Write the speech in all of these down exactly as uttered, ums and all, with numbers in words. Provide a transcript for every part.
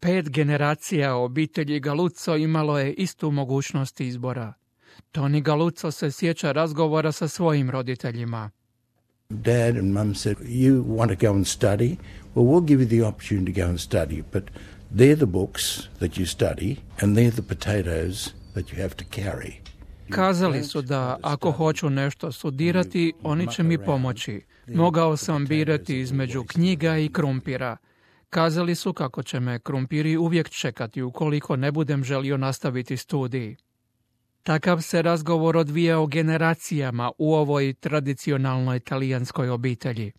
Pet generacija obitelji Galuzzo imalo je istu mogućnost izbora. Tony Galuzzo se sjeća razgovora sa svojim roditeljima. Dad and Mum said, you want to go and study? Well, we'll give you the opportunity to go and study, but they're the books that you study and they're the potatoes that you have to carry. Kazali su da ako hoću nešto studirati, oni će mi pomoći. Mogao sam birati između knjiga i krumpira. Kazali su kako će me krumpiri uvijek čekati ukoliko ne budem želio nastaviti studij. Takav se razgovor odvijao generacijama u ovoj tradicionalnoj talijanskoj obitelji.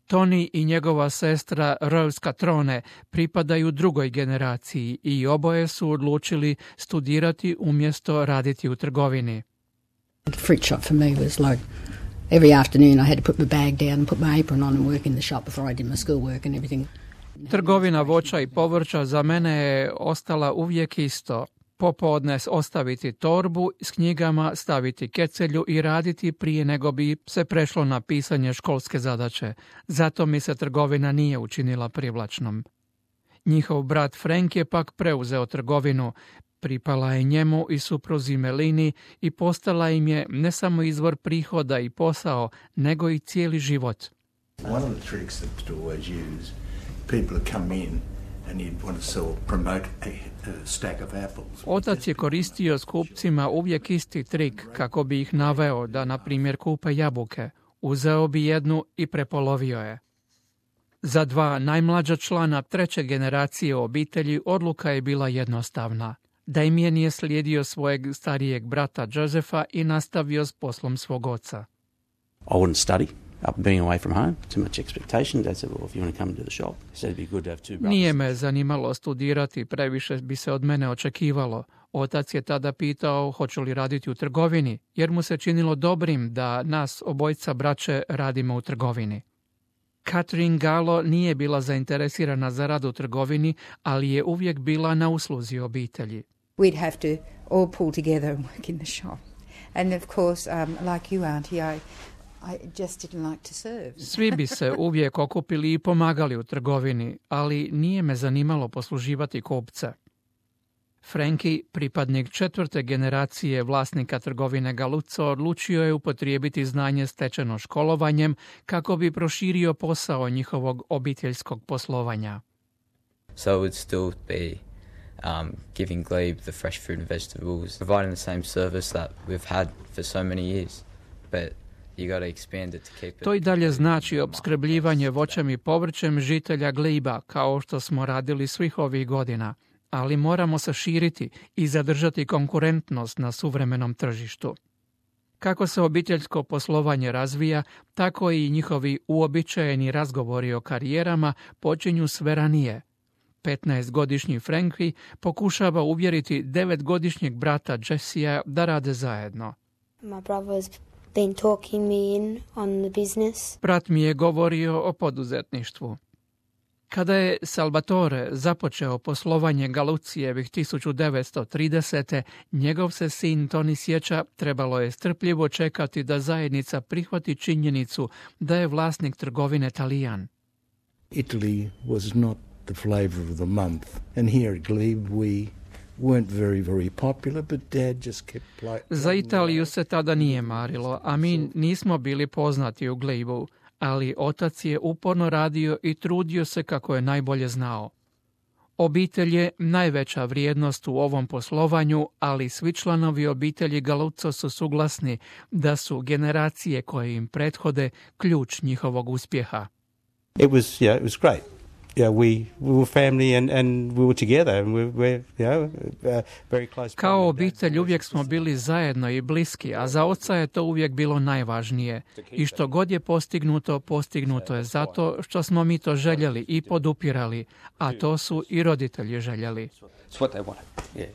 Tony i njegova sestra Rose Catrone pripadaju drugoj generaciji i oboje su odlučili studirati umjesto raditi u trgovini. The fruit shop for me was like every afternoon I had to put my bag down and put my apron on and work in the shop before I did my schoolwork and everything. Trgovina voća i povrća za mene je ostala uvijek isto. Popodne ostaviti torbu s knjigama, staviti kecelju i raditi prije nego bi se prešlo na pisanje školske zadaće. Zato mi se trgovina nije učinila privlačnom. Njihov brat Frank je pak preuzeo trgovinu. Pripala je njemu i supruzi Melini i postala im je ne samo izvor prihoda i posao, nego i cijeli život. One of the tricks that to always use, people would come in and you'd want to sell, promote a, a stack of apples. Otac je koristio s kupcima uvijek isti trik kako bi ih naveo da, na primjer, kupe jabuke. Uzeo bi jednu i prepolovio je. Za dva najmlađa člana treće generacije obitelji odluka je bila jednostavna. Damien je slijedio svojeg starijeg brata Josefa i nastavio s poslom svog oca. I wouldn't study. Being away from home, too much expectation. Dad said, well, if you want to come to the shop, he said it'd be good to have two brothers. Nije me zanimalo studirati, previše bi se od mene očekivalo. Otac je tada pitao hoću li raditi u trgovini, jer mu se činilo dobrim da nas obojca braće radimo u trgovini. Catherine Gallo nije bila zainteresirana za rad u trgovini, ali je uvijek bila na usluzi obitelji. We'd have to all pull together and work in the shop. And of course, um, like you, Auntie, I, I just didn't like to serve. Svi bi se uvijek okupili i pomagali u trgovini, ali nije me zanimalo posluživati kupce. Frankie, pripadnik četvrte generacije vlasnika trgovine Galuzzo, odlučio je upotrijebiti znanje stečeno školovanjem kako bi proširio posao njihovog obiteljskog poslovanja. So it would still be um, giving Glebe the fresh fruit and vegetables, providing the same service that we've had for so many years, but you got to expand it to keep it. To i dalje znači opskrbljivanje voćem i povrćem žitelja Gleba, kao što smo radili svih ovih godina, ali moramo se širiti i zadržati konkurentnost na suvremenom tržištu. Kako se obiteljsko poslovanje razvija, tako i njihovi uobičajeni razgovori o karijerama počinju sve ranije. petnaestogodišnji Frankie pokušava uvjeriti devetgodišnjeg brata Jessija da rade zajedno. My brother's been talking me in on the business. Brat mi je govorio o poduzetništvu. Kada je Salvatore započeo poslovanje Galucijevih tisuću devetsto tridesete. njegov se sin Tony sjeća, trebalo je strpljivo čekati da zajednica prihvati činjenicu da je vlasnik trgovine Talijan. Italy was not the flavor of the month, and here at Glebe we weren't very, very popular, but Dad just kept playing. Za Italiju se tada nije marilo, a mi nismo bili poznati u Glebu, ali otac je uporno radio i trudio se kako je najbolje znao. Obitelj je najveća vrijednost u ovom poslovanju, ali svi članovi obitelji Galuzzo su suglasni da su generacije koje im prethode ključ njihovog uspjeha. It was, yeah, it was great. Yeah, we, we were family and, and we were together and we were, you know, uh, very close. Kao obitelj uvijek smo bili zajedno i bliski, a za oca je to uvijek bilo najvažnije. I što god je postignuto, postignuto je zato što smo mi to željeli i podupirali, a to su i roditelji željeli. It's what they wanted, yeah.